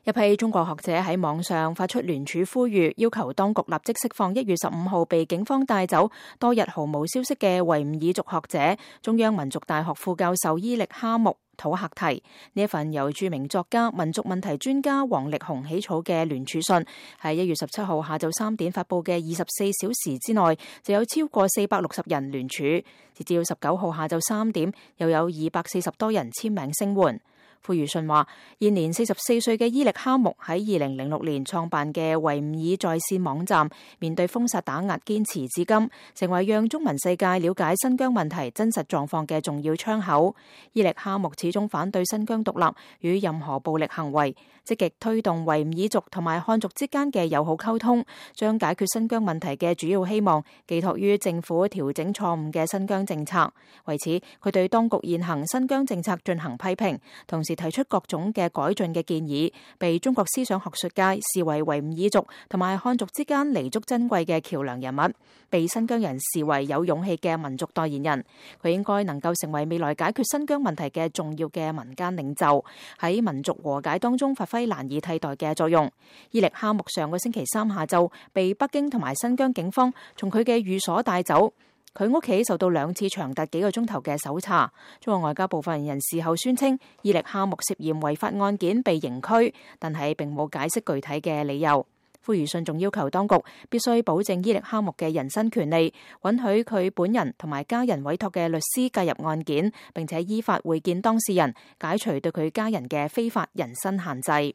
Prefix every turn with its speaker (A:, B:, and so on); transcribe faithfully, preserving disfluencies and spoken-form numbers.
A: 一批中國學者喺網上發出聯署呼籲，要求當局立即釋放一月十五號被警方帶走多日毫無消息嘅維吾爾族學者、中央民族大學副教授伊力哈木土赫提。呢一份由著名作家、民族問題專家王力宏起草嘅聯署信，喺一月十七號下晝三點發佈嘅二十四小時之內，就有超過四百六十人聯署。截至十九號下晝三點，又有二百四十多人簽名聲援。呼籲信話，現年四十四歲嘅伊力哈木喺二零零六年創辦嘅維吾爾在線網站，面對封殺打壓堅持至今，成為讓中文世界了解新疆問題真實狀況嘅重要窗口。伊力哈木始終反對新疆獨立與任何暴力行為，積極推動維吾爾族同埋漢族之間嘅友好溝通，將解決新疆問題嘅主要希望寄託於政府調整錯誤嘅新疆政策。為此，佢對當局現行新疆政策進行批評，同時提出各種嘅改進嘅建議，被中國思想學術界視為維吾爾族同埋漢族之間彌足珍貴嘅橋樑人物，被新疆人視為有勇氣嘅民族代言人。佢應該能夠成為未來解決新疆問題嘅重要嘅民間領袖，喺民族和解當中發揮難以替代嘅作用。伊力哈木上個星期三下晝被北京同埋新疆警方從佢嘅寓所帶走。佢屋企受到兩次長達幾個鐘頭嘅搜查。中國外交部發言人事後宣稱，伊力哈木涉嫌違法案件被刑拘，但係並冇解釋具體嘅理由。呼籲信仲要求當局必須保證伊力哈木嘅人身權利，允許佢本人同埋家人委託嘅律師介入案件，並且依法會見當事人，解除對佢家人嘅非法人身限制。